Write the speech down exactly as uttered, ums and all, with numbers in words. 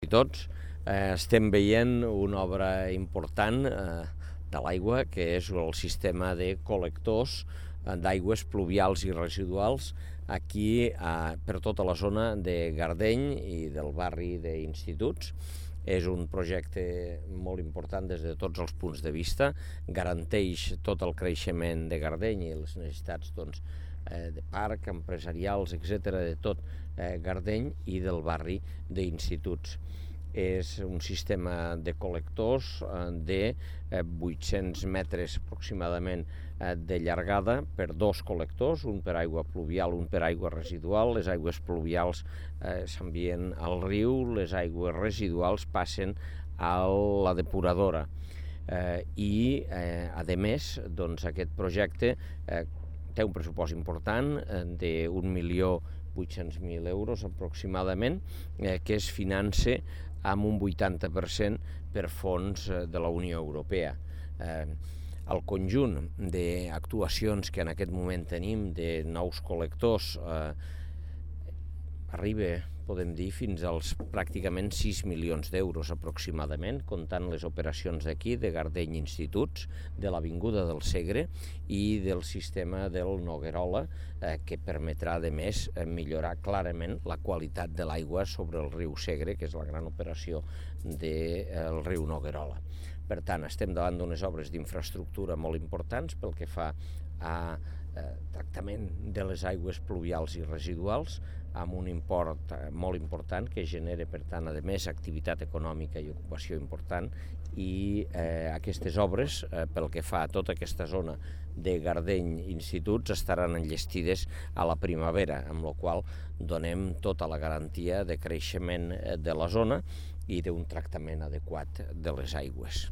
I tots eh, estem veient una obra important eh, de l'aigua, que és el sistema de col·lectors eh, d'aigües pluvials i residuals aquí eh, per tota la zona de Gardeny i del barri d'Instituts. És un projecte molt important des de tots els punts de vista, garanteix tot el creixement de Gardeny i les necessitats doncs, eh, de parc, empresarials, etcètera, de tot eh, Gardeny i del barri d'Instituts. És un sistema de col·lectors eh, de eh, vuit-cents metres aproximadament eh, de llargada per dos col·lectors, un per aigua pluvial, un per aigua residual. Les aigües pluvials eh, s'envien al riu, les aigües residuals passen a la depuradora. Eh, I, eh, a més, doncs, aquest projecte eh, té un pressupost important eh, d'un milió vuit-cents mil euros aproximadament, eh, que es finança amb un vuitanta per cent per fons de la Unió Europea. Eh, el conjunt d'actuacions que en aquest moment tenim de nous col·lectors eh, arriba, podem dir, fins als pràcticament sis milions d'euros aproximadament, comptant les operacions d'aquí, de Gardeny Instituts, de l'Avinguda del Segre i del sistema del Noguerola, eh, que permetrà, a més, millorar clarament la qualitat de l'aigua sobre el riu Segre, que és la gran operació del riu Noguerola. Per tant, estem davant d'unes obres d'infraestructura molt importants pel que fa a eh, tractament de les aigües pluvials i residuals, amb un import molt important que genera, per tant, a més, activitat econòmica i ocupació important, i eh, aquestes obres, eh, pel que fa a tota aquesta zona de Gardeny Instituts, estaran enllestides a la primavera, amb la qual donem tota la garantia de creixement de la zona i d'un tractament adequat de les aigües.